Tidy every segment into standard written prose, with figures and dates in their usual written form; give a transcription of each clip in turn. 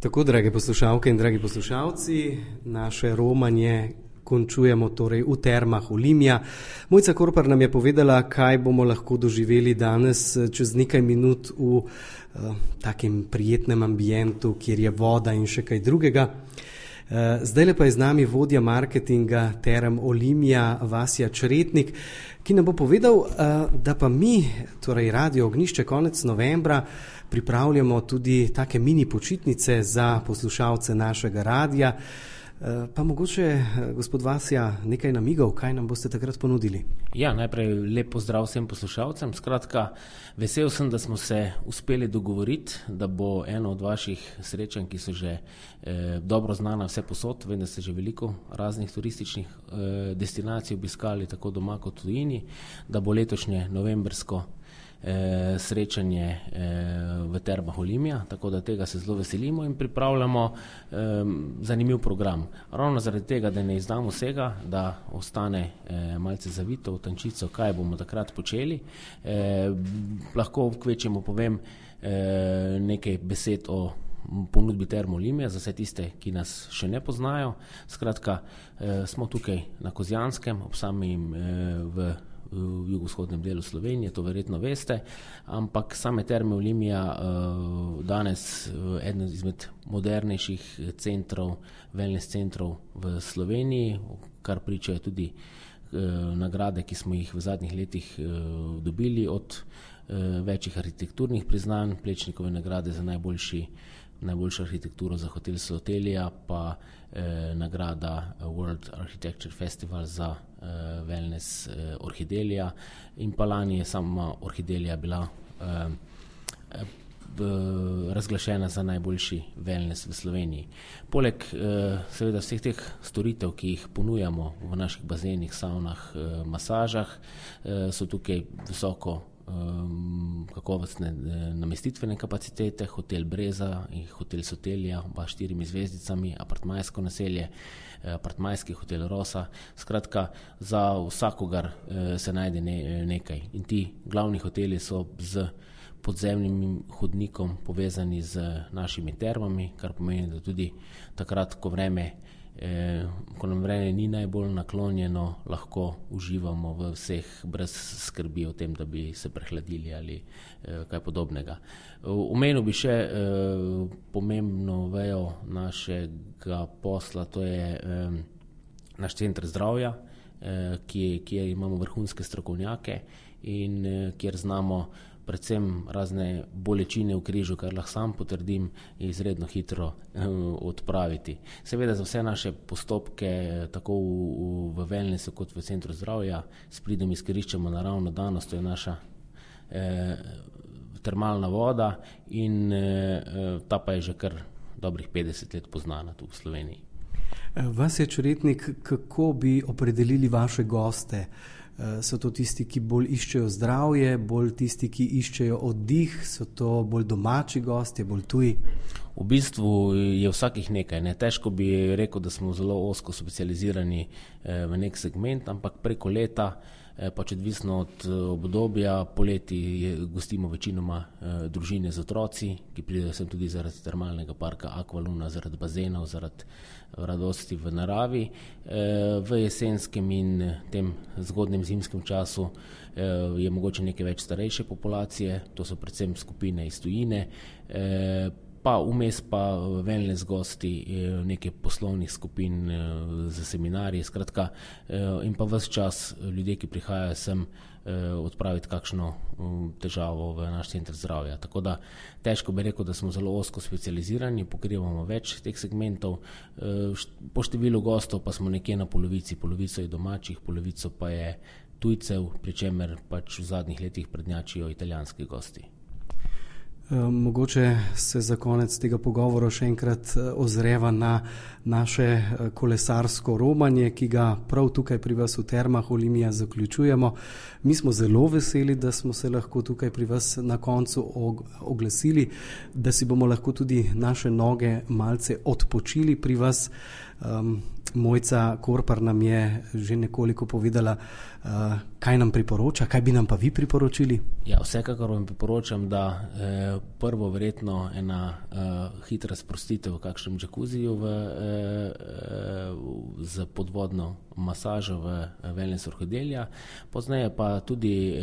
Tako, drage poslušalke in dragi poslušalci, naše romanje končujemo torej v termah Olimja. Mojca Korpar nam je povedala, kaj bomo lahko doživeli danes čez nekaj minut v takem prijetnem ambientu, kjer je voda in še kaj drugega. Zdajle pa je z nami vodja marketinga term Olimja, Vasja Čretnik, ki nam bo povedal, da pa mi, torej Radio Ognjišče, konec novembra pripravljamo tudi take mini počitnice za poslušalce našega radia. Pa mogoče, gospod Vasja, nekaj namigov, kaj nam boste takrat ponudili? Ja, najprej lep pozdrav vsem poslušalcem. Skratka, vesel sem, da smo se uspeli dogovoriti, da bo eno od vaših srečanj, ki so že dobro znana vse posod, vem, da ste že veliko raznih turističnih destinacij obiskali, tako doma kot v tujini, da bo letošnje novembrsko srečanje v termah Olimja, tako da tega se zelo veselimo in pripravljamo zanimiv program. Ravno zaradi tega, da ne izdamo vsega, da ostane malce zavito v tančico, kaj bomo takrat počeli. Lahko kvečemo povem nekaj besed o ponudbi term Olimja za vse tiste, ki nas še ne poznajo. Skratka, smo tukaj na Kozjanskem, ob samem v jugovzhodnem delu Slovenije, to verjetno veste, ampak same terme Olimja danes eden izmed modernejših centrov, wellness centrov v Sloveniji, kar pričajo tudi nagrade, ki smo jih v zadnjih letih dobili od večjih arhitekturnih priznanj, Plečnikove nagrade za najboljšo arhitekturo za hotel Sotelija, pa nagrada World Architecture Festival za wellness Orhidelija in pa lani je sama Orhidelija bila razglašena za najboljši wellness v Sloveniji. Poleg seveda vseh teh storitev, ki jih ponujamo v naših bazenih, savnah, masažah, so tukaj visoko kakovostne namestitvene kapacitete, hotel Breza in hotel Sotelija, oba 4 zvezdicami, apartmajsko naselje, apartmajski hotel Rosa. Skratka, za vsakogar se najde nekaj. In ti glavni hoteli so z podzemnim hodnikom povezani z našimi termami, kar pomeni, da tudi takrat, ko nam vreme ni najbolj naklonjeno, lahko uživamo v vseh brez skrbi o tem, da bi se prehladili ali kaj podobnega. Omenil bi še pomembno vejo našega posla, to je naš center zdravja, kjer imamo vrhunske strokovnjake in kjer znamo predvsem razne bolečine v križu, kar lahko sam potrdim, izredno hitro odpraviti. Seveda za vse naše postopke, tako v wellnessu kot v centru zdravja, s pridom izkoriščamo naravno danost, to je naša termalna voda in ta pa je že kar dobrih 50 let poznana tu v Sloveniji. Vasja Čretnik, kako bi opredelili vaše goste? So to tisti, ki bolj iščejo zdravje, bolj tisti, ki iščejo oddih, so to bolj domači gostje, bolj tuji? V bistvu je vsakih nekaj. Težko bi rekel, da smo zelo ozko specializirani v nek segment, ampak preko leta, pač odvisno od obdobja, poleti gostimo večinoma družine z otroci, ki pridejo sem tudi zaradi termalnega parka Aqualuna, zaradi bazenov, zaradi radosti v naravi. V jesenskem in tem zgodnem zimskem času je mogoče nekaj več starejše populacije, to so predvsem skupine iz tujine, pa vmes pa wellness gosti, nekaj poslovnih skupin za seminarje, skratka, in pa ves čas ljudje, ki prihajajo sem odpraviti kakšno težavo v naš center zdravja. Tako da težko bi rekel, da smo zelo ozko specializirani, pokrivamo več teh segmentov. Po številu gostov pa smo nekje na polovici je domačih, polovico pa je tujcev, pri čemer pač v zadnjih letih prednjačijo italijanski gosti. Mogoče se za konec tega pogovora še enkrat ozreva na naše kolesarsko romanje, ki ga prav tukaj pri vas v termah Olimja zaključujemo. Mi smo zelo veseli, da smo se lahko tukaj pri vas na koncu oglasili, da si bomo lahko tudi naše noge malce odpočili pri vas. Mojca Korpar nam je že nekoliko povedala, kaj nam priporoča, kaj bi nam pa vi priporočili? Ja, vsekakor vam priporočam, da prvo verjetno ena hitra sprostitev v kakšnem džakuziju z podvodno masažo v wellness Orhodelja, pozneje pa tudi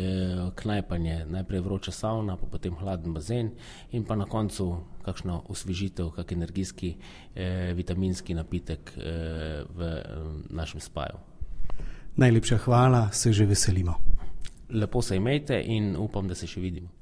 knajpanje, najprej vroča savna, pa potem hladen bazen in pa na koncu kakšno osvežitev, kak energijski vitaminski napitek v našem spaju. Najlepša hvala, se že veselimo. Lepo se imejte in upam, da se še vidimo.